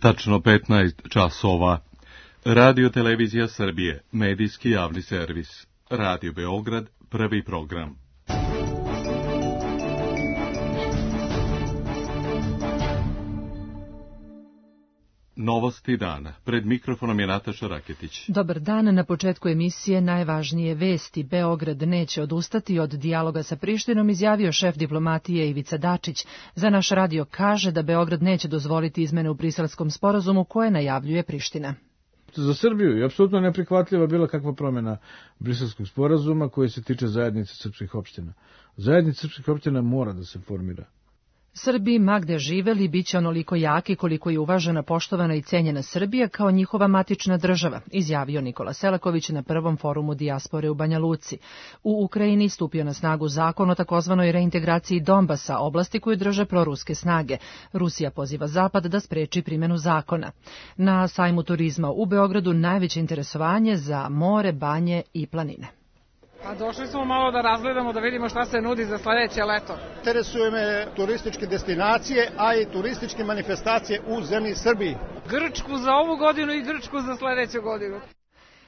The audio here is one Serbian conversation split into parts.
Tačno 15 časova. Radio Televizija Srbije, medijski javni servis. Radio Beograd, prvi program. Novosti dana. Pred mikrofonom je Nataša Raketić. Dobar dan. Na početku emisije najvažnije vesti. Beograd neće odustati od dijaloga sa Prištinom, izjavio šef diplomatije Ivica Dačić. Za naš radio kaže da Beograd neće dozvoliti izmene u Briselskom sporazumu koje najavljuje Priština. Za Srbiju je apsolutno neprihvatljiva bila kakva promjena Briselskog sporazuma koji se tiče zajednice srpskih opština. Zajednica srpskih opština mora da se formira. Srbi, ma gde živeli, bit će onoliko jaki koliko je uvažena, poštovana i cenjena Srbija kao njihova matična država, izjavio Nikola Selaković na prvom forumu dijaspore u Banja Luci. U Ukrajini stupio na snagu zakon o takozvanoj reintegraciji Donbasa, oblasti koju drže proruske snage. Rusija poziva Zapad da spreči primjenu zakona. Na sajmu turizma u Beogradu najveće interesovanje za more, banje i planine. Pa došli smo malo da razgledamo, da vidimo šta se nudi za sledeće leto. Interesuju me turističke destinacije, a i turističke manifestacije u zemlji Srbiji. Grčku za ovu godinu i Grčku za sledeću godinu.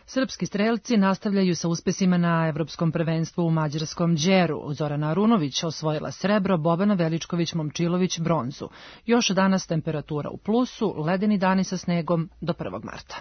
Srpski strelci nastavljaju sa uspesima na evropskom prvenstvu u mađarskom Đeru. Zorana Arunović osvojila srebro, Bobana Veličković-Momčilović bronzu. Još danas temperatura u plusu, ledeni dani sa snegom do 1. marta.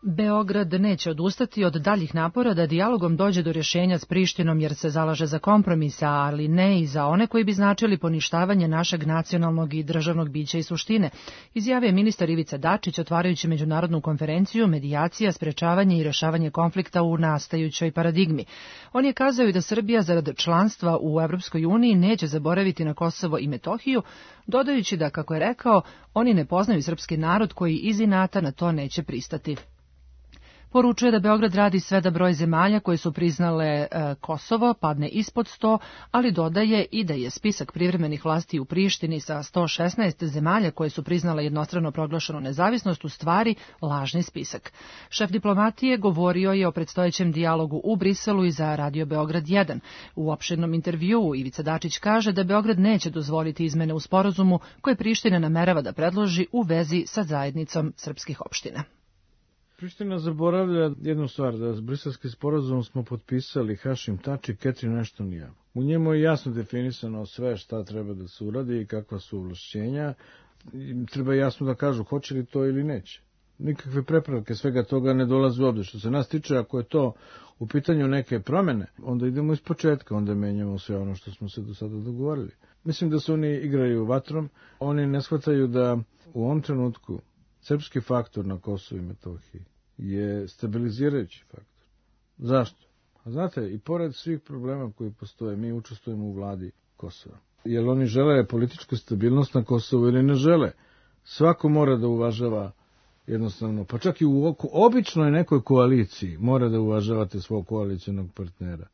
Beograd neće odustati od daljih napora da dijalogom dođe do rješenja s Prištinom jer se zalaže za kompromisa, ali ne i za one koji bi značili poništavanje našeg nacionalnog i državnog bića i suštine, izjavio je ministar Ivica Dačić otvarajući međunarodnu konferenciju Medijacija, sprečavanje i rješavanje konflikta u nastajućoj paradigmi. On je kazao i da Srbija zarad članstva u Evropskoj uniji neće zaboraviti na Kosovo i Metohiju, dodajući da, kako je rekao, oni ne poznaju srpski narod koji iz inata na to neće pristati. Poručuje da Beograd radi sve da broj zemalja koje su priznale Kosovo padne ispod 100, ali dodaje i da je spisak privremenih vlasti u Prištini sa 116 zemalja koje su priznale jednostrano proglašenu nezavisnost u stvari lažni spisak. Šef diplomatije govorio je o predstojećem dijalogu u Briselu i za Radio Beograd 1. U opširnom intervjuu Ivica Dačić kaže da Beograd neće dozvoliti izmene u sporazumu koje Priština namerava da predloži u vezi sa zajednicom srpskih opština. Priština zaboravlja jednu stvar, da s Briselski sporazum smo potpisali Hašim Tači, Catherine Ashton i ja. U njemu je jasno definisano sve šta treba da se uradi i kakva su ovlašćenja. Treba jasno da kažu hoće li to ili neće. Nikakve prepravke svega toga ne dolaze u obzir. Što se nas tiče, ako je to u pitanju neke promjene, onda idemo iz početka, onda menjamo sve ono što smo se do sada dogovorili. Mislim da se oni igraju vatrom, oni ne shvataju da u ovom trenutku srpski faktor na Kosovu i Metohiji je stabilizirajući faktor. Zašto? A znate, i pored svih problema koji postoje, mi učestvujemo u vladi Kosova. Jer oni žele političku stabilnost na Kosovu ili ne žele. Svako mora da uvažava jednostavno, pa čak i u običnoj nekoj koaliciji mora da uvažavate svog koalicionog partnera.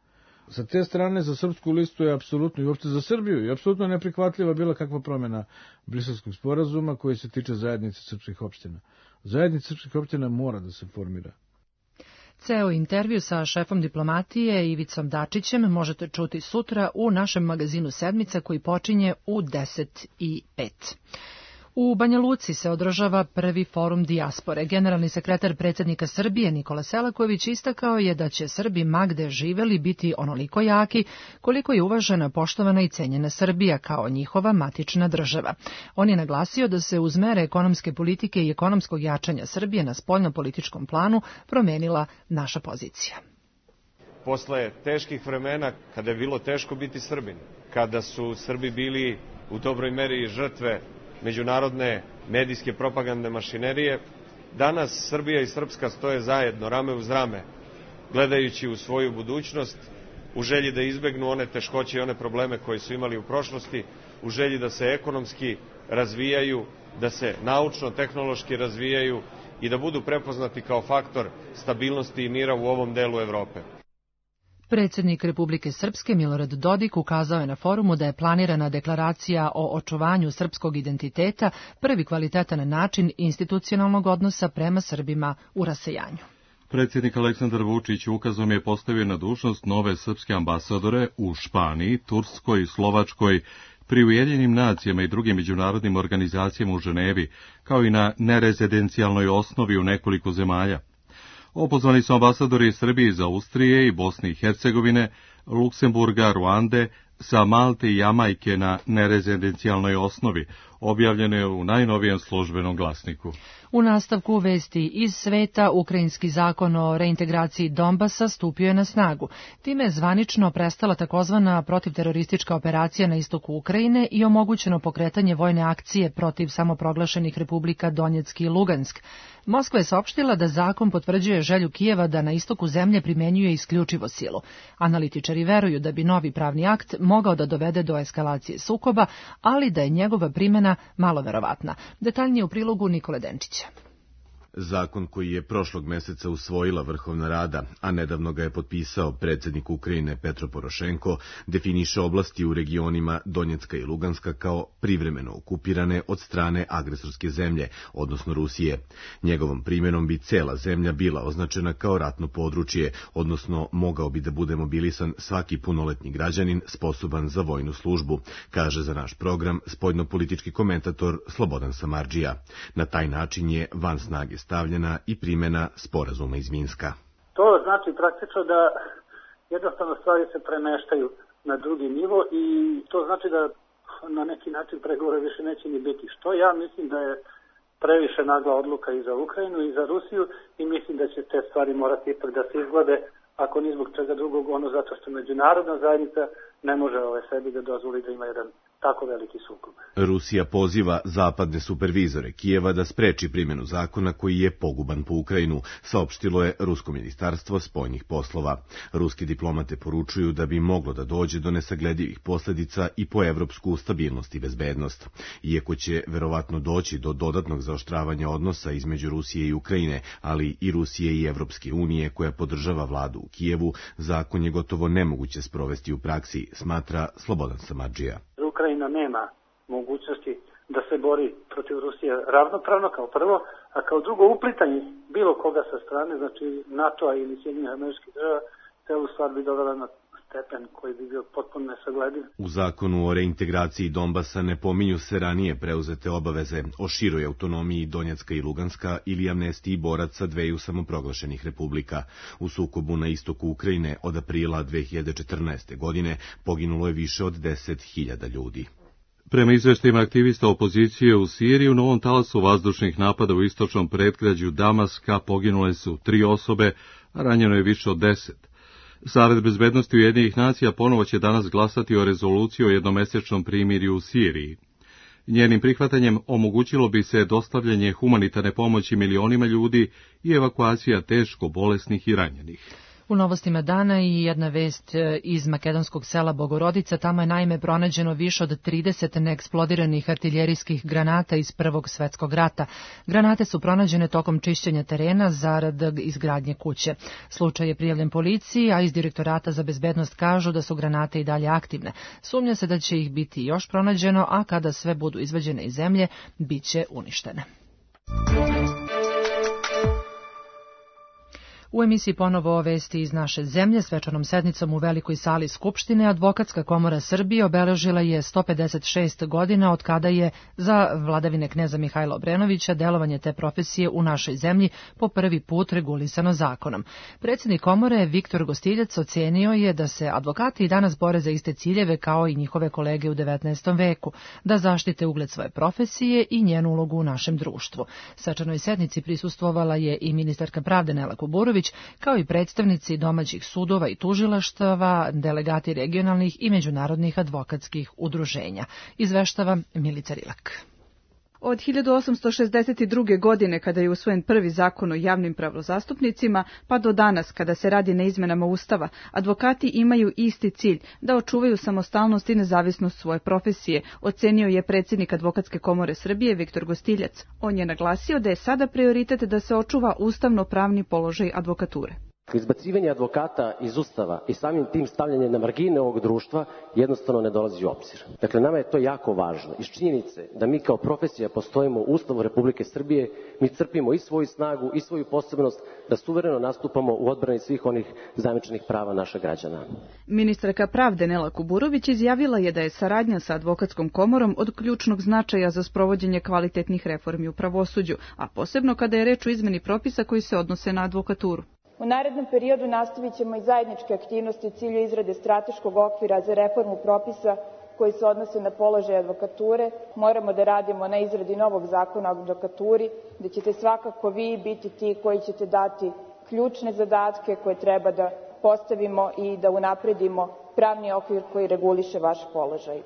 Sa te strane za srpsku listu je apsolutno i uopšte za Srbiju je apsolutno neprihvatljiva bila kakva promjena Briselskog sporazuma koji se tiče zajednice srpskih opština. Zajednica srpskih opština mora da se formira. Ceo intervju sa šefom diplomatije Ivicom Dačićem možete čuti sutra u našem magazinu Sedmica koji počinje u 10:05. U Banja Luci se održava prvi forum dijaspore. Generalni sekretar predsjednika Srbije Nikola Selaković istakao je da će Srbi ma gde živeli biti onoliko jaki koliko je uvažena, poštovana i cenjena Srbija kao njihova matična država. On je naglasio da se uz mere ekonomske politike i ekonomskog jačanja Srbije na spoljno-političkom planu promenila naša pozicija. Posle teških vremena, kada je bilo teško biti Srbin, kada su Srbi bili u dobroj meri žrtve međunarodne medijske propagandne mašinerije, danas Srbija i Srpska stoje zajedno, rame uz rame, gledajući u svoju budućnost, u želji da izbegnu one teškoće i one probleme koje su imali u prošlosti, u želji da se ekonomski razvijaju, da se naučno-tehnološki razvijaju i da budu prepoznati kao faktor stabilnosti i mira u ovom delu Evrope. Predsjednik Republike Srpske Milorad Dodik ukazao je na forumu da je planirana deklaracija o očuvanju srpskog identiteta prvi kvalitetan način institucionalnog odnosa prema Srbima u rasejanju. Predsjednik Aleksandar Vučić ukazom je postavio na dužnost nove srpske ambasadore u Španiji, Turskoj, Slovačkoj, pri Ujedinjenim nacijama i drugim međunarodnim organizacijama u Ženevi, kao i na nerezidencijalnoj osnovi u nekoliko zemalja. Opozvani su ambasadori Srbije iz Austrije i Bosne i Hercegovine, Luksemburga, Ruande, sa Malte i Jamajke na nerezidencijalnoj osnovi, objavljeno je u najnovijem službenom glasniku. U nastavku vesti iz sveta, ukrajinski zakon o reintegraciji Donbasa stupio je na snagu. Time je zvanično prestala takozvana protivteroristička operacija na istoku Ukrajine i omogućeno pokretanje vojne akcije protiv samoproglašenih republika Donjeck i Lugansk. Moskva je saopštila da zakon potvrđuje želju Kijeva da na istoku zemlje primenjuje isključivo silu. Analitičari veruju da bi novi pravni akt mogao da dovede do eskalacije sukoba, ali da je njegova primjena malo verovatna. Detaljnije u prilogu Nikole Denčića. Zakon koji je prošlog meseca usvojila Vrhovna Rada, a nedavno ga je potpisao predsjednik Ukrajine Petro Porošenko, definiše oblasti u regionima Donjecka i Luganska kao privremeno okupirane od strane agresorske zemlje, odnosno Rusije. Njegovom primjenom bi cela zemlja bila označena kao ratno područje, odnosno mogao bi da bude mobilisan svaki punoletni građanin sposoban za vojnu službu, kaže za naš program spoljnopolitički komentator Slobodan Samardžija. Na taj način je van snage stavljena i primjena sporazuma iz Minska. To znači praktično da jednostavno stvari se premeštaju na drugi nivo i to znači da na neki način pregovore više neće ni biti. Što ja mislim da je previše nagla odluka i za Ukrajinu i za Rusiju i mislim da će te stvari morati ipak da se izglade, ako ni zbog čega drugog, ono zato što međunarodna zajednica ne može sebi da dozvoli da ima jedan tako veliki sukob. Rusija poziva zapadne supervizore Kijeva da spreči primjenu zakona koji je poguban po Ukrajinu, saopštilo je Rusko ministarstvo spoljnih poslova. Ruski diplomate poručuju da bi moglo da dođe do nesagledivih posljedica i po evropsku stabilnost i bezbednost. Iako će verovatno doći do dodatnog zaoštravanja odnosa između Rusije i Ukrajine, ali i Rusije i Evropske unije koja podržava vladu u Kijevu, zakon je gotovo nemoguće sprovesti u praksi, smatra Slobodan Samardžija. Ukrajina nema mogućnosti da se bori protiv Rusije ravnopravno kao prvo, a kao drugo uplitanje bilo koga sa strane, znači NATO-a ili Sjedinjenih Američkih Država, celu stvar bi dovela na stepen koji bi bio potpuno nesaglediv. U zakonu o reintegraciji Donbasa ne pominju se ranije preuzete obaveze o široj autonomiji Donjecka i Luganska ili amnestiji boraca dveju samoproglašenih republika. U sukobu na istoku Ukrajine od aprila 2014. godine poginulo je više od 10.000 ljudi. Prema izveštajima aktivista opozicije u Siriji, u novom talasu vazdušnih napada u istočnom predgrađu Damaska poginule su 3 osobe, a ranjeno je više od 10. Savet bezbednosti Ujedinjenih nacija ponovo će danas glasati o rezoluciji o jednomesečnom primirju u Siriji. Njenim prihvatanjem omogućilo bi se dostavljanje humanitarne pomoći milionima ljudi i evakuacija teško bolesnih i ranjenih. U novostima dana i jedna vest iz makedonskog sela Bogorodica, tamo je naime pronađeno više od 30 neeksplodiranih artiljerijskih granata iz Prvog svjetskog rata. Granate su pronađene tokom čišćenja terena zarad izgradnje kuće. Slučaj je prijavljen policiji, a iz Direktorata za bezbednost kažu da su granate i dalje aktivne. Sumnja se da će ih biti još pronađeno, a kada sve budu izvađene iz zemlje, bit će uništene. U emisiji ponovo vesti iz naše zemlje. Svečanom sednicom u Velikoj sali Skupštine Advokatska komora Srbije obeležila je 156 godina od kada je za vladavine kneza Mihajla Obrenovića delovanje te profesije u našoj zemlji po prvi put regulisano zakonom. Predsjednik komore Viktor Gostiljac ocenio je da se advokati i danas bore za iste ciljeve kao i njihove kolege u 19. veku, da zaštite ugled svoje profesije i njenu ulogu u našem društvu. Svečanoj sednici prisustvovala je i ministarka pravde Nela Kuburović, kao i predstavnici domaćih sudova i tužilaštava, delegati regionalnih i međunarodnih advokatskih udruženja. Izveštava Milica Rilak. Od 1862. godine, kada je usvojen prvi zakon o javnim pravozastupnicima, pa do danas, kada se radi na izmenama Ustava, advokati imaju isti cilj, da očuvaju samostalnost i nezavisnost svoje profesije, ocenio je predsjednik Advokatske komore Srbije Viktor Gostiljac. On je naglasio da je sada prioritet da se očuva ustavno-pravni položaj advokature. Izbacivanje advokata iz Ustava i samim tim stavljanje na margine ovog društva jednostavno ne dolazi u obzir. Dakle, nama je to jako važno. Iz činjenice da mi kao profesija postojimo u Ustavu Republike Srbije, mi crpimo i svoju snagu i svoju posebnost da suvereno nastupamo u odbrani svih onih zajamčenih prava naših građana. Ministarka pravde Nela Kuburović izjavila je da je saradnja sa advokatskom komorom od ključnog značaja za sprovođenje kvalitetnih reformi u pravosuđu, a posebno kada je reč o izmeni propisa koji se odnose na advokaturu. U narednom periodu nastavit ćemo i zajedničke aktivnosti u cilju izrade strateškog okvira za reformu propisa koji se odnose na položaj advokature. Moramo da radimo na izradi novog zakona o advokaturi, da ćete svakako vi biti ti koji ćete dati ključne zadatke koje treba da postavimo i da unapredimo pravni okvir koji reguliše vaš položaj.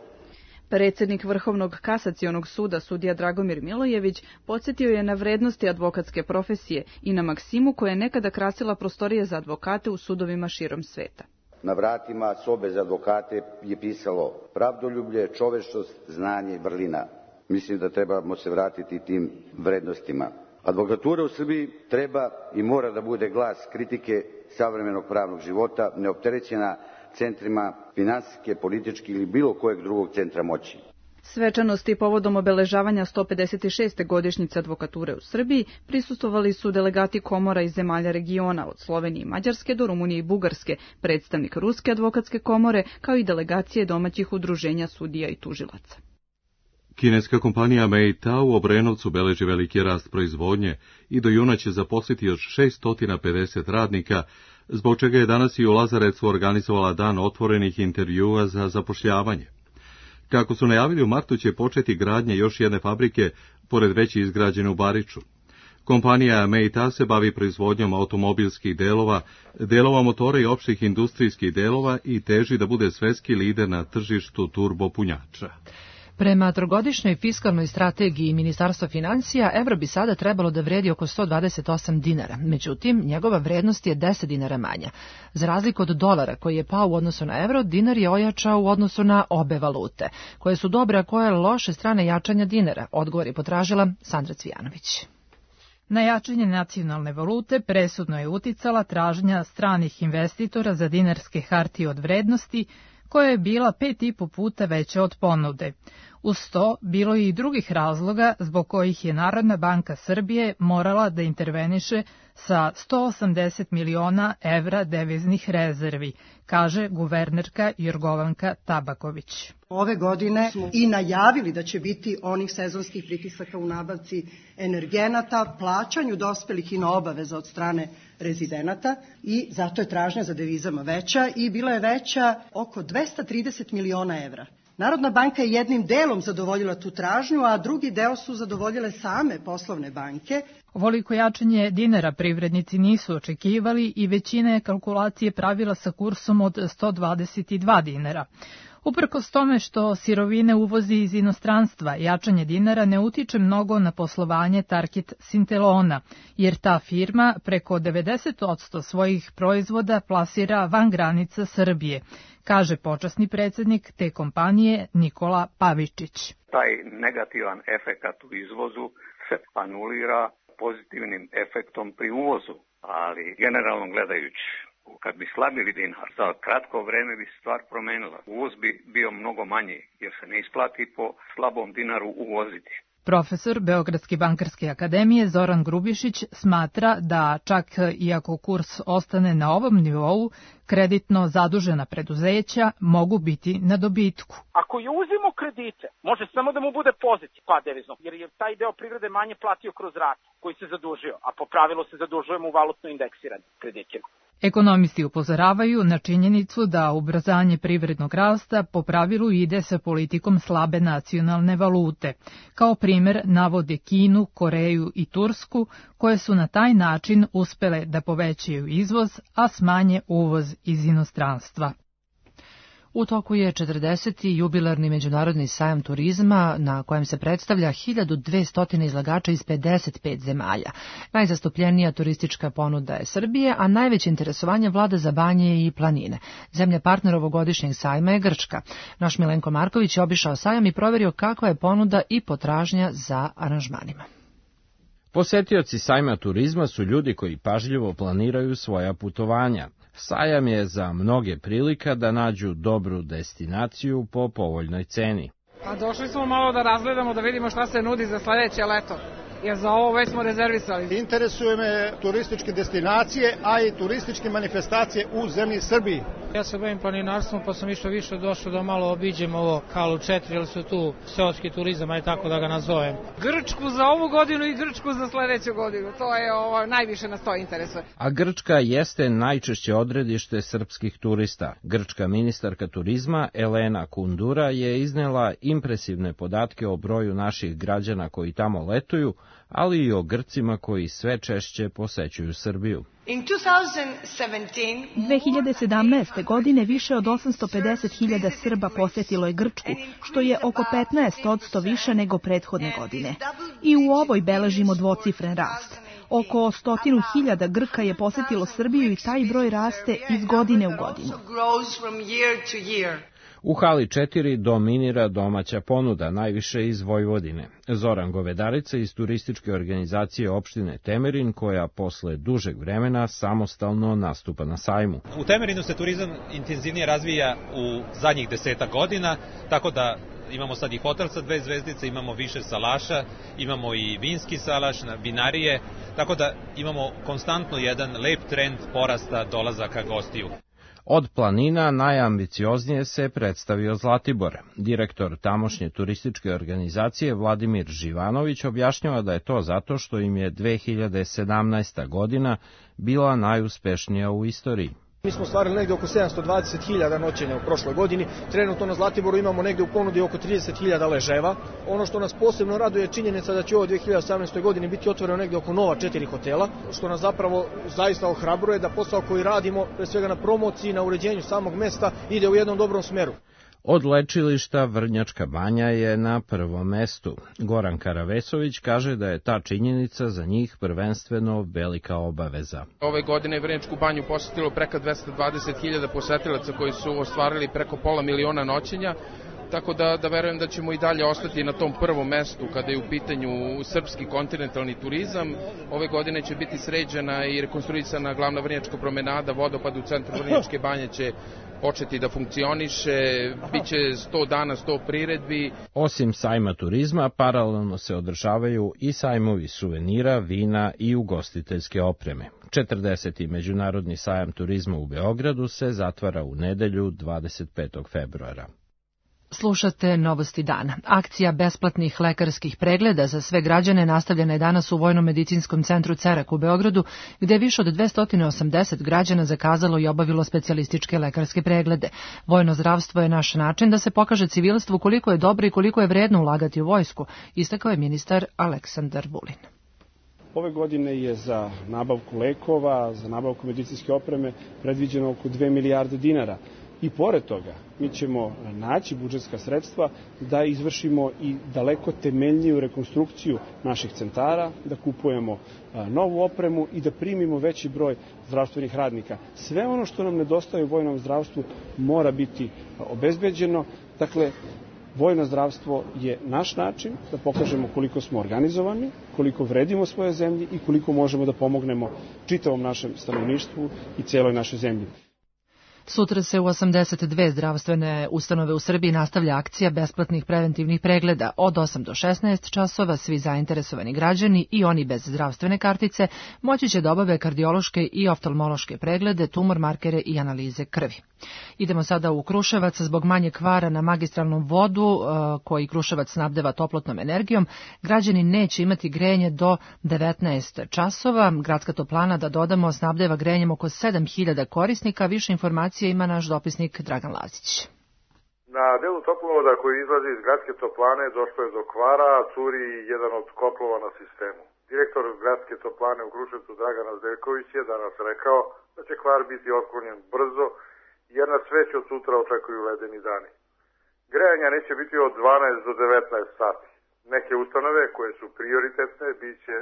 Predsednik Vrhovnog kasacionog suda sudija Dragomir Milojević podsjetio je na vrednosti advokatske profesije i na maksimu koja je nekada krasila prostorije za advokate u sudovima širom sveta. Na vratima sobe za advokate je pisalo pravdoljublje, čovečnost, znanje i vrlina. Mislim da trebamo se vratiti tim vrednostima. Advokatura u Srbiji treba i mora da bude glas kritike savremenog pravnog života, neopterećena centrima finansijske, političke ili bilo kojeg drugog centra moći. Svečanosti povodom obeležavanja 156. godišnjice advokature u Srbiji prisustvovali su delegati komora iz zemalja regiona, od Slovenije i Mađarske do Rumunije i Bugarske, predstavnik Ruske advokatske komore, kao i delegacije domaćih udruženja sudija i tužilaca. Kineska kompanija Meita u Obrenovcu beleži veliki rast proizvodnje i do juna će zaposliti još 650 radnika, zbog čega je danas i u Lazarecu organizovala dan otvorenih intervjua za zapošljavanje. Kako su najavili, u martu će početi gradnja još jedne fabrike, pored već izgrađene u Bariču. Kompanija Meita se bavi proizvodnjom automobilskih delova motora i opštih industrijskih delova i teži da bude svetski lider na tržištu turbopunjača. Prema trogodišnjoj fiskalnoj strategiji Ministarstva finansija, evro bi sada trebalo da vredi oko 128 dinara, međutim, njegova vrednost je 10 dinara manja. Za razliku od dolara koji je pao u odnosu na evro, dinar je ojačao u odnosu na obe valute. Koje su dobre, a koje loše strane jačanja dinara? Odgovor je potražila Sandra Cvijanović. Na jačanje nacionalne valute presudno je uticala tražnja stranih investitora za dinarske hartije od vrednosti, koja je bila 5,5 puta veća od ponude. Uz to, bilo je i drugih razloga zbog kojih je Narodna banka Srbije morala da interveniše sa 180 miliona evra deviznih rezervi, kaže guvernerka Jorgovanka Tabaković. Ove godine smo i najavili da će biti onih sezonskih pritisaka u nabavci energenata, plaćanju dospelih i obaveza od strane rezidenata i zato je tražnja za devizama veća i bila je veća oko 230 miliona evra. Narodna banka je jednim delom zadovoljila tu tražnju, a drugi deo su zadovoljile same poslovne banke. Ovoliko jačanje dinara privrednici nisu očekivali i većina je kalkulacije pravila sa kursom od 122 dinara. Uprkos tome što sirovine uvozi iz inostranstva, jačanje dinara ne utiče mnogo na poslovanje Tarkit Sintelona, jer ta firma preko 90% svojih proizvoda plasira van granica Srbije, kaže počasni predsednik te kompanije Nikola Pavičić. Taj negativan efekat u izvozu se anulira pozitivnim efektom pri uvozu, ali generalno gledajući, kad bi slabili dinar, za kratko vreme bi se stvar promenila. Uvoz bi bio mnogo manji, jer se ne isplati po slabom dinaru uvoziti. Profesor Beogradske bankarske akademije Zoran Grubišić smatra da čak iako kurs ostane na ovom nivou, kreditno zadužena preduzeća mogu biti na dobitku. Ako je uzimo kredite, može samo da mu bude pozitiv pad deviznog, jer je taj deo privrede manje platio kroz ratu koji se zadužio, a po pravilu se zadužujemo u valutno indeksiranim kreditima. Ekonomisti upozoravaju na činjenicu da ubrzanje privrednog rasta po pravilu ide sa politikom slabe nacionalne valute. Kao primer navode Kinu, Koreju i Tursku, koje su na taj način uspele da povećaju izvoz, a smanje uvoz iz inostranstva. U toku je 40. jubilarni međunarodni sajam turizma na kojem se predstavlja 1200 izlagača iz 55 zemalja. Najzastupljenija turistička ponuda je Srbije, a najveće interesovanje vlada za banje i planine. Zemlja partner ovogodišnjeg sajma je Grčka. Naš Milenko Marković je obišao sajam i proverio kakva je ponuda i potražnja za aranžmanima. Posetioci sajma turizma su ljudi koji pažljivo planiraju svoja putovanja. Sajam je za mnoge prilika da nađu dobru destinaciju po povoljnoj ceni. Pa došli smo malo da razgledamo, da vidimo šta se nudi za sledeće leto. Jer za ovo već smo rezervisali. Interesuje me turističke destinacije, a i turističke manifestacije u zemlji Srbiji. Ja se bavim planinarstvom, pa sam više došao da malo obiđem ovo Kalu 4, jer su tu seoski turizam, aj tako da ga nazovem. Grčku za ovu godinu i Grčku za sledeću godinu, to je najviše nas to interesuje. A Grčka jeste najčešće odredište srpskih turista. Grčka ministarka turizma Elena Kundura je iznela impresivne podatke o broju naših građana koji tamo letuju, ali i o Grcima koji sve češće posećuju Srbiju. 2017. godine više od 850.000 Srba posetilo je Grčku, što je oko 15% više nego prethodne godine. I u ovoj beležimo dvocifren rast. Oko 100.000 Grka je posetilo Srbiju i taj broj raste iz godine u godinu. U hali 4 dominira domaća ponuda, najviše iz Vojvodine. Zoran Govedarica iz turističke organizacije opštine Temerin, koja posle dužeg vremena samostalno nastupa na sajmu. U Temerinu se turizam intenzivnije razvija u zadnjih 10 godina, tako da imamo sad i hotel sa 2 zvezdice, imamo više salaša, imamo i vinski salaš, vinarije, tako da imamo konstantno jedan lep trend porasta dolazaka gostiju. Od planina najambicioznije se predstavio Zlatibor. Direktor tamošnje turističke organizacije Vladimir Živanović objašnjava da je to zato što im je 2017. godina bila najuspešnija u istoriji. Mi smo stvarili negde oko 720.000 noćenja u prošloj godini. Trenutno na Zlatiboru imamo negde u ponudi oko 30.000 leževa. Ono što nas posebno raduje je činjenica da će ovo 2018. godini biti otvoreno negde oko nova 4 hotela, što nas zapravo zaista ohrabruje da posao koji radimo, pre svega na promociji, na uređenju samog mesta, ide u jednom dobrom smeru. Od lečilišta Vrnjačka banja je na prvom mestu. Goran Karavesović kaže da je ta činjenica za njih prvenstveno velika obaveza. Ove godine je Vrnjačku banju posetilo preko 220.000 posetilaca koji su ostvarili preko 500.000 noćenja, tako da verujem da ćemo i dalje ostati na tom prvom mestu kada je u pitanju srpski kontinentalni turizam. Ove godine će biti sređena i rekonstruisana glavna Vrnjačka promenada, vodopad u centru Vrnjačke banje će početi da funkcioniše, bit će 100 dana, 100 priredbi. Osim sajma turizma, paralelno se održavaju i sajmovi suvenira, vina i ugostiteljske opreme. 40. Međunarodni sajam turizma u Beogradu se zatvara u nedelju 25. februara. Slušate Novosti dana. Akcija besplatnih lekarskih pregleda za sve građane nastavljena je danas u Vojno-medicinskom centru Cerak u Beogradu, gde je više od 280 građana zakazalo i obavilo specijalističke lekarske preglede. Vojno zdravstvo je naš način da se pokaže civilstvu koliko je dobro i koliko je vredno ulagati u vojsku, istakao je ministar Aleksandar Vulin. Ove godine je za nabavku lekova, za nabavku medicinske opreme predviđeno oko 2 milijarde dinara. I pored toga, mi ćemo naći budžetska sredstva da izvršimo i daleko temeljniju rekonstrukciju naših centara, da kupujemo novu opremu i da primimo veći broj zdravstvenih radnika. Sve ono što nam nedostaje u vojnom zdravstvu mora biti obezbeđeno. Dakle, vojno zdravstvo je naš način da pokažemo koliko smo organizovani, koliko vredimo svoje zemlji i koliko možemo da pomognemo čitavom našem stanovništvu i celoj našoj zemlji. Sutra se u 82 zdravstvene ustanove u Srbiji nastavlja akcija besplatnih preventivnih pregleda. Od 8 do 16 časova svi zainteresovani građani i oni bez zdravstvene kartice moći će da obave kardiološke i oftalmološke preglede, tumor markere i analize krvi. Idemo sada u Kruševac. Zbog manje kvara na magistralnom vodu koji Kruševac snabdeva toplotnom energijom, građani neće imati grejanje do 19 časova. Gradska toplana, da dodamo, snabdeva grejanjem oko 7.000 korisnika. Više informacija ima naš dopisnik Dragan Lazić. Na delu toplovoda koji izlazi iz gradske toplane došlo je do kvara, a curi jedan od kotlova na sistemu. Direktor gradske toplane u Kruševcu Dragan Azdeljković je danas rekao da će kvar biti otklonjen brzo, jer nas već od sutra očekuju ledeni dani. Grejanja neće biti od 12 do 19 sati. Neke ustanove koje su prioritetne bit će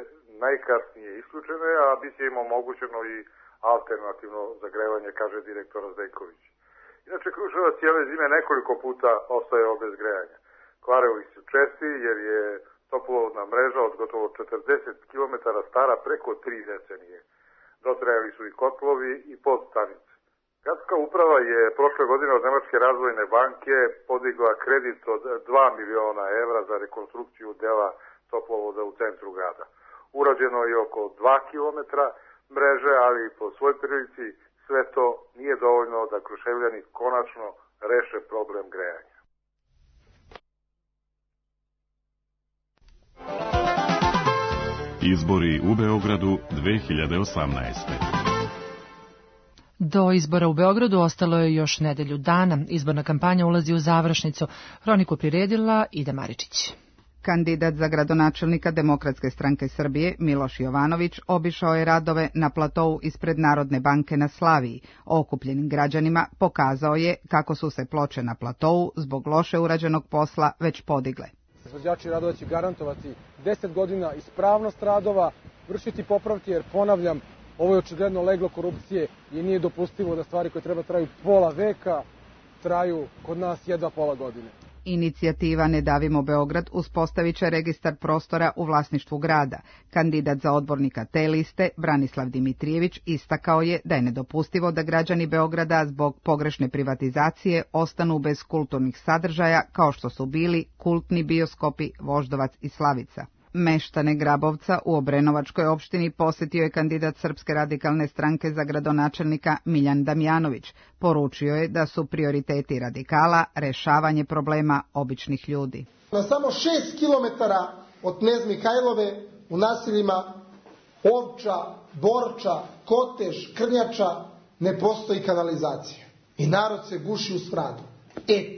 najkasnije isključene, a bit će im omogućeno i alternativno zagrevanje, kaže direktor Azdeljković. Inače, Kruševac cijele zime nekoliko puta ostajao bez grejanja. Kvarevi su česti jer je Toplovodna mreža od gotovo 40 km stara preko 3 decenije. Dotrajali su i kotlovi i podstanice. Gradska uprava je prošle godine od Nemačke razvojne banke podigla kredit od 2 miliona evra za rekonstrukciju dela toplovoda u centru grada. Urađeno je oko 2 km mreže, ali po svoj prilici sve to nije dovoljno da Kruševljani konačno reše problem grejanja. Izbori u Beogradu 2018. Do izbora u Beogradu ostalo je još nedelju dana. Izborna kampanja ulazi u završnicu. Hroniku priredila Ida Maričić. Kandidat za gradonačelnika Demokratske stranke Srbije, Miloš Jovanović, obišao je radove na platovu ispred Narodne banke na Slaviji. Okupljenim građanima pokazao je kako su se ploče na platovu zbog loše urađenog posla već podigle. Izvođači radova će garantovati 10 godina ispravnost radova, vršiti popravke, jer ponavljam, ovo je očigledno leglo korupcije i nije dopustivo da stvari koje treba traju pola veka traju kod nas jedva pola godine. Inicijativa Ne davimo Beograd uspostavit će registar prostora u vlasništvu grada. Kandidat za odbornika te liste, Branislav Dimitrijević, istakao je da je nedopustivo da građani Beograda zbog pogrešne privatizacije ostanu bez kulturnih sadržaja kao što su bili kultni bioskopi Voždovac i Slavica. Meštane Grabovca u Obrenovačkoj opštini posjetio je kandidat Srpske radikalne stranke za gradonačelnika Miljan Damjanović. Poručio je da su prioriteti radikala rešavanje problema običnih ljudi. Na samo 6 kilometara od Knez Mihajlove u naseljima Ovča, Borča, Kotež, Krnjača ne postoji kanalizacija. I narod se guši u smradu.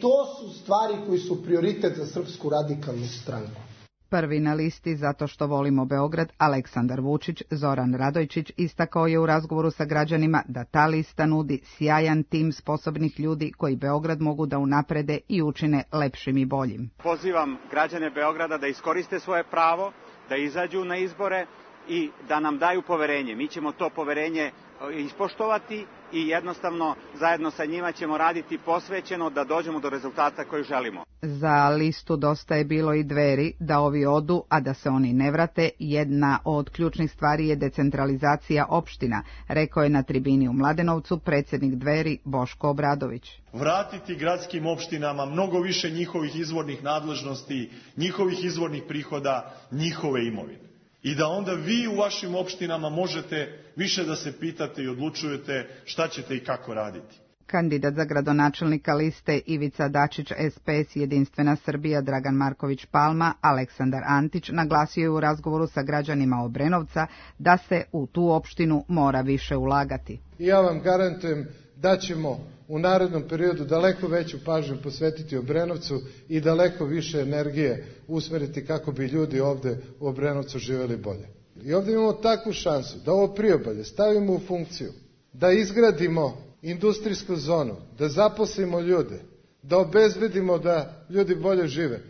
To su stvari koji su prioritet za Srpsku radikalnu stranku. Prvi na listi zato što volimo Beograd, Aleksandar Vučić, Zoran Radojčić, istakao je u razgovoru sa građanima da ta lista nudi sjajan tim sposobnih ljudi koji Beograd mogu da unaprede i učine lepšim i boljim. Pozivam građane Beograda da iskoriste svoje pravo, da izađu na izbore i da nam daju poverenje. Mi ćemo to poverenje ispoštovati i jednostavno zajedno sa njima ćemo raditi posvećeno da dođemo do rezultata koji želimo. Za listu Dosta je bilo i Dveri da ovi odu, a da se oni ne vrate. Jedna od ključnih stvari je decentralizacija opština, rekao je na tribini u Mladenovcu predsjednik Dveri Boško Obradović. Vratiti gradskim opštinama mnogo više njihovih izvornih nadležnosti, njihovih izvornih prihoda, njihove imovine. I da onda vi u vašim opštinama možete više da se pitate i odlučujete šta ćete i kako raditi. Kandidat za gradonačelnika liste Ivica Dačić, SPS Jedinstvena Srbija, Dragan Marković Palma, Aleksandar Antić naglasio je u razgovoru sa građanima Obrenovca da se u tu opštinu mora više ulagati. Ja vam garantujem da ćemo u narednom periodu daleko veću pažnju posvetiti Obrenovcu i daleko više energije usmeriti kako bi ljudi ovde u Obrenovcu živjeli bolje. I ovdje imamo takvu šansu da ovo priobalje stavimo u funkciju, da izgradimo industrijsku zonu, da zaposlimo ljude, da obezbedimo da ljudi bolje žive.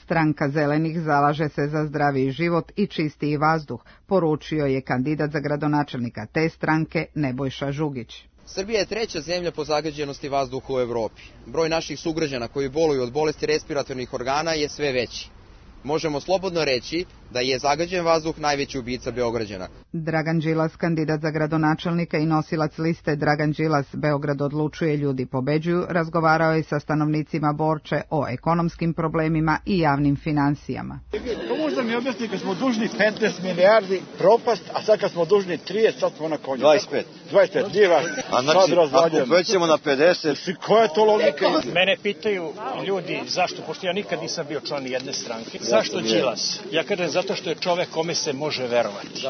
Stranka Zelenih zalaže se za zdraviji život i čistiji vazduh, poručio je kandidat za gradonačelnika te stranke Nebojša Žugić. Srbija je treća zemlja po zagađenosti vazduha u Evropi. Broj naših sugrađana koji boluju od bolesti respiratornih organa je sve veći. Možemo slobodno reći da je zagađen vazduh najveći ubica Beograđana. Dragan Đilas, kandidat za gradonačelnika i nosilac liste Dragan Đilas Beograd odlučuje, ljudi pobeđuju, razgovarao je sa stanovnicima Borče o ekonomskim problemima i javnim financijama. To možda mi objasni kad smo dužni 15 milijardi propast, a sad kad smo dužni 30, sad smo na konju. 25, nije vas. A znači, ako većemo na 50... Koja je to logika? Mene pitaju ljudi zašto, pošto ja nikad nisam bio član jedne stranke, zašto Đilas? Ja kažem zato što je čovek kome se može verovati.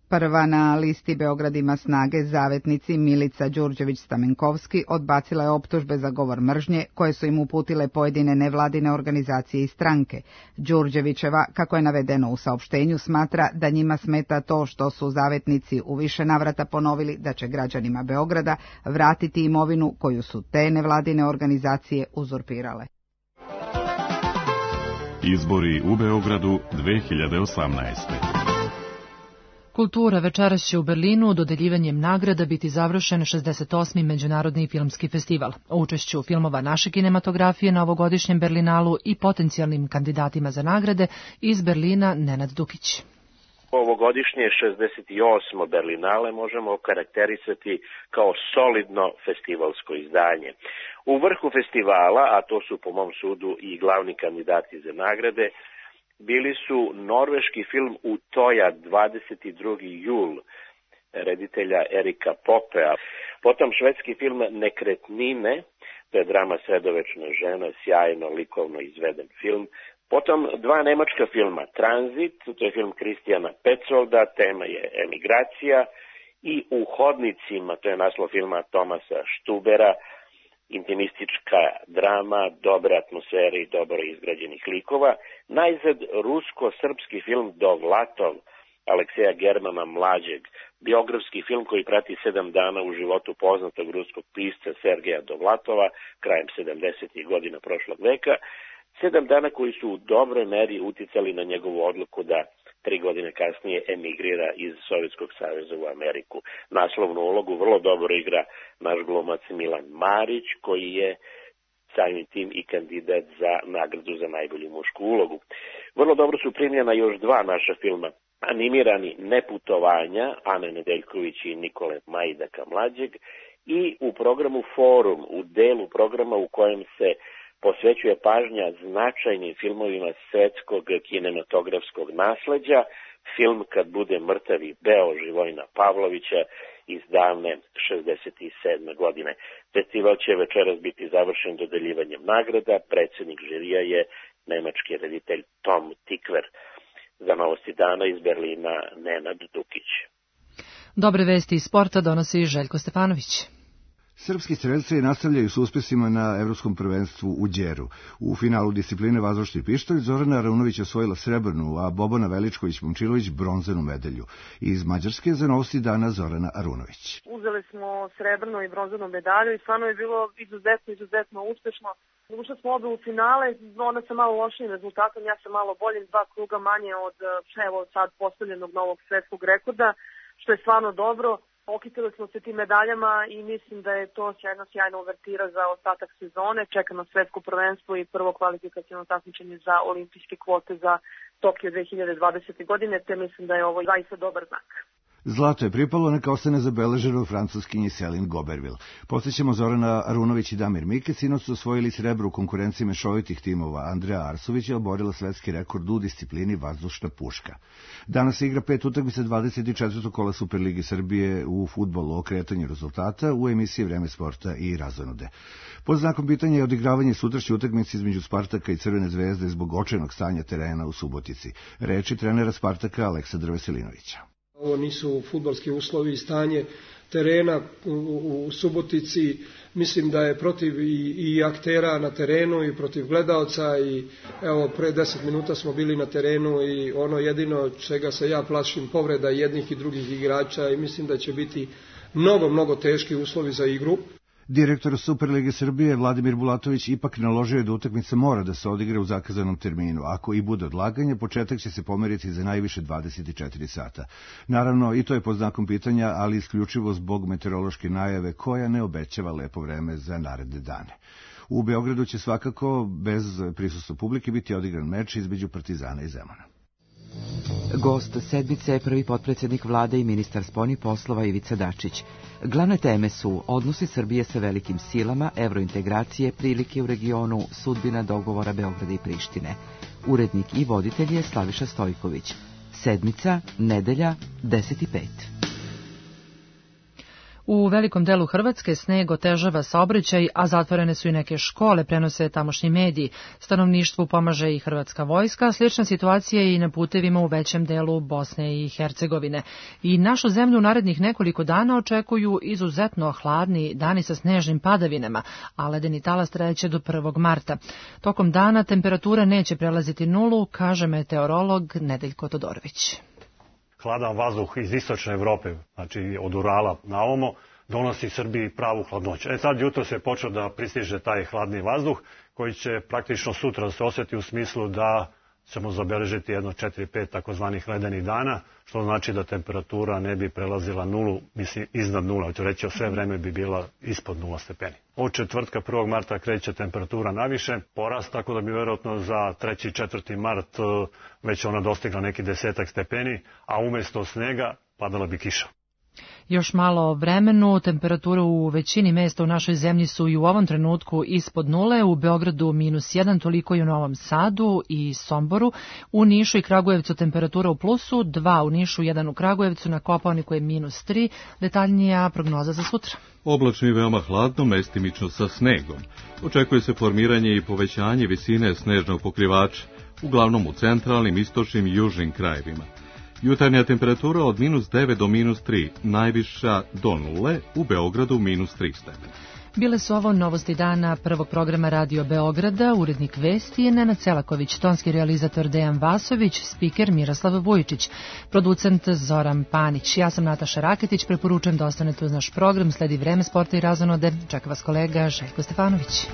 Prva na listi Beograd ima snage zavetnici Milica Đurđević-Stamenkovski odbacila je optužbe za govor mržnje koje su im uputile pojedine nevladine organizacije i stranke. Đurđevićeva, kako je navedeno u saopštenju, smatra da njima smeta to što su zavetnici u više navrata ponovili da će građanima Beograda vratiti imovinu koju su te nevladine organizacije uzurpirale. Izbori u Beogradu 2018. Kultura večeras će u Berlinu dodeljivanjem nagrada biti završen 68. Međunarodni filmski festival. O učešću filmova naše kinematografije na ovogodišnjem Berlinalu i potencijalnim kandidatima za nagrade iz Berlina Nenad Dukić. Ovogodišnje 68. Berlinale možemo okarakterisati kao solidno festivalsko izdanje. U vrhu festivala, a to su po mom sudu i glavni kandidati za nagrade, bili su norveški film Utoja 22. jul reditelja Erika Popea, potom švedski film Nekretnine, to je drama Sredovečna žena, sjajno likovno izveden film, potom dva nemačka filma Tranzit, to je film Kristijana Petsolda, tema je emigracija, i U hodnicima, to je naslov filma Tomasa Štubera, intimistička drama, dobre atmosfere i dobro izgrađenih likova. Najzad rusko-srpski film Dovlatov Alekseja Germana Mlađeg, biografski film koji prati 7 dana u životu poznatog ruskog pisca Sergeja Dovlatova krajem 70. godina prošlog veka. 7 dana koji su u dobroj meri uticali na njegovu odluku da 3 godine kasnije emigrira iz Sovjetskog saveza u Ameriku. Naslovnu ulogu vrlo dobro igra naš glumac Milan Marić, koji je samim tim i kandidat za nagradu za najbolju mušku ulogu. Vrlo dobro su primljena još dva naša filma. Animirani Neputovanja, Ane Nedeljković i Nikole Majdaka Mlađeg, i u programu Forum, u delu programa u kojem se posvećuje pažnja značajnim filmovima svetskog kinematografskog nasleđa, film Kad bude mrtav i beo Živojina Pavlovića iz davne 67. godine. Festival će večeras biti završen dodeljivanjem nagrada. Predsjednik žirija je nemački reditelj Tom Tikver. Za Novosti dana iz Berlina Nenad Dukić. Dobre vesti iz sporta donosi Željko Stefanović. Srpski strelci nastavljaju s uspesima na Evropskom prvenstvu u Đeru. U finalu discipline vazdušni pištolj Zorana Arunović osvojila srebrnu, a Bobana Veličković-Momčilović bronzanu medalju. Iz Mađarske za Novosti dana Zorana Arunović. Uzeli smo srebrnu i bronzanu medalju i stvarno je bilo izuzetno uspešno. Ušli smo obe u finale, ona sa malo lošim rezultatom, ja sam malo boljim, 2 kruga manje od sad postavljenog novog svetskog rekorda, što je stvarno dobro. Okitili smo se tim medaljama i mislim da je to jedna sjajna uvertira za ostatak sezone. Čeka nas svetsko prvenstvo i prvo kvalifikaciono takmičenje za olimpijske kvote za Tokio 2020. godine, te mislim da je ovo zaista dobar znak. Zlato je pripalo, neka ostane zabeleženo francuskinji Céline Goberville. Podsjećamo, Zorana Arunović i Damir Mike sinoć su osvojili srebro u konkurenciji mešovitih timova. Andreja Arsović je oborila svetski rekord u disciplini vazdušna puška. Danas se igra 5 utakmica 24. kola Superligi Srbije u fudbalu o kretanju rezultata u emisiji Vreme sporta i razonude. Pod znakom pitanja je odigravanje sutrašnje utakmice između Spartaka i Crvene zvezde zbog očajnog stanja terena u Subotici. Reči trenera Spartaka Aleksandra Veselinovića. Ovo nisu fudbalski uslovi i stanje terena u Subotici. Mislim da je protiv i aktera na terenu i protiv gledaoca i evo pre 10 minuta smo bili na terenu i ono jedino čega se ja plašim povreda jednih i drugih igrača i mislim da će biti mnogo teški uslovi za igru. Direktor Superlige Srbije Vladimir Bulatović ipak naložio je da utakmica mora da se odigra u zakazanom terminu. Ako i bude odlaganje, početak će se pomeriti za najviše 24 sata. Naravno, i to je pod znakom pitanja, ali isključivo zbog meteorološke najave koja ne obećava lepo vreme za naredne dane. U Beogradu će svakako bez prisustva publike biti odigran meč između Partizana i Zemuna. Gost sedmice je prvi potpredsjednik vlade i ministar spoljnih poslova Ivica Dačić. Glavne teme su odnosi Srbije sa velikim silama, evrointegracije, prilike u regionu, sudbina dogovora Beograda i Prištine. Urednik i voditelj je Slaviša Stojković. Sedmica, nedelja, 10:05. U velikom delu Hrvatske sneg otežava saobraćaj, a zatvorene su i neke škole, prenose tamošnji mediji. Stanovništvu pomaže i Hrvatska vojska, slična situacija je i na putevima u većem delu Bosne i Hercegovine. I našu zemlju narednih nekoliko dana očekuju izuzetno hladni dani sa snežnim padavinama, a ledeni talas trajeće do 1. marta. Tokom dana temperatura neće prelaziti nulu, kaže meteorolog Nedeljko Todorović. Hladan vazduh iz istočne Evrope, znači od Urala na ovamo, donosi Srbiji pravu hladnoću. Sad jutro se počeo da pristiže taj hladni vazduh koji će praktično sutra se osjeti u smislu da ćemo zabeležiti jedno 4-5 takozvanih ledenih dana, što znači da temperatura ne bi prelazila nulu, mislim iznad nula, hoću reći sve vreme bi bila ispod 0 stepeni. Od četvrtka 1. marta kreće temperatura naviše, porast, tako da bi vjerojatno za 3. i 4. mart već ona dostigla neki 10 stepeni, a umjesto snega padala bi kiša. Još malo o vremenu, temperature u većini mesta u našoj zemlji su i u ovom trenutku ispod nule, u Beogradu -1, toliko i u Novom Sadu i Somboru, u Nišu i Kragujevcu temperatura u plusu, 2 u Nišu, 1 u Kragujevcu, na Kopaoniku je -3, detaljnija prognoza za sutra. Oblačno i veoma hladno, mestimično sa snegom. Očekuje se formiranje i povećanje visine snežnog pokrivača, uglavnom u centralnim, istočnim i južnim krajevima. Jutarnja temperatura od -9 do -3, najviša do 0, u Beogradu -3 stepena. Bile su ovo novosti dana prvog programa Radio Beograda, urednik vesti je Nenad Selaković, tonski realizator Dejan Vasović, spiker Miroslav Vujičić, producent Zoran Panić. Ja sam Nataša Raketić, preporučujem da ostanete uz naš program, sledi Vreme sporta i razonode, čeka vas kolega Željko Stefanović.